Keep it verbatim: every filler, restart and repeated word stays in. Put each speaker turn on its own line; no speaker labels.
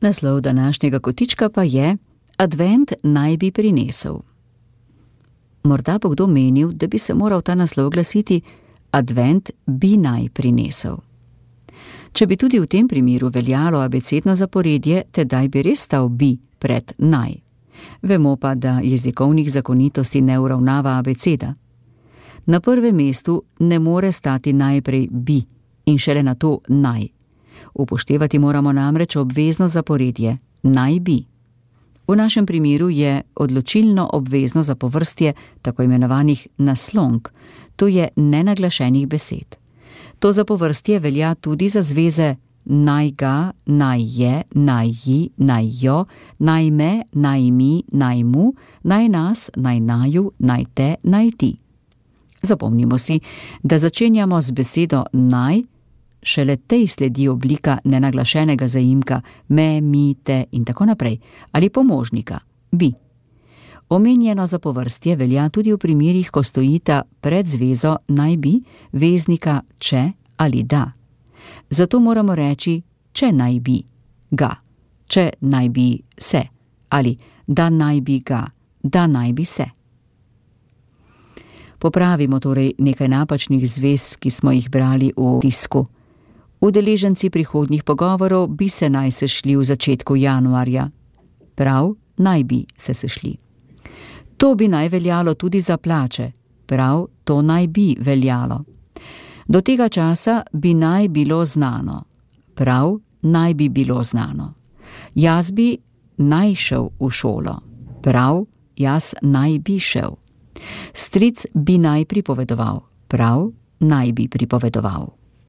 Naslov današnjega kotička pa je Advent naj bi prinesel. Morda bo kdo menil, da bi se moral ta naslov glasiti Advent bi naj prinesel. Če bi tudi v tem primeru veljalo abecedno zaporedje, tedaj bi res stal bi pred naj. Vemo pa, da jezikovnih zakonitosti ne uravnava abeceda. Na prvem mestu ne more stati najprej bi in šele nato naj. Upoštevati moramo namreč obvezno zaporedje naj bi. V našem primeru je odločilno obvezno zapovrstje tako imenovanih naslonk, to je nenaglašenih besed. To zapovrstje velja tudi za zveze naj ga, naj je, naj ji, naj jo, naj me, naj mi, naj mu, naj nas, naj naju, naj te, naj ti. Zapomnimo si, da začenjamo z besedo naj, šele tej sledi oblika nenaglašenega zaimka me, mi, te in tako naprej, ali pomožnika bi. Omenjeno zapovrstje velja tudi v primerih, ko stojita pred zvezo naj bi, veznika če ali da. Zato moramo reči če naj bi ga, če naj bi se ali da naj bi ga, da naj bi se. Popravimo torej nekaj napačnih zvez, ki smo jih brali v tisku. Udeleženci prihodnjih pogovorov bi se naj sešli v začetku januarja. Prav, naj bi se sešli. To bi naj veljalo tudi za plače. Prav, to naj bi veljalo. Do tega časa bi naj bilo znano. Prav, naj bi bilo znano. Jaz bi naj šel v šolo. Prav, jaz naj bi šel. Stric bi naj pripovedoval. Prav, naj bi pripovedoval.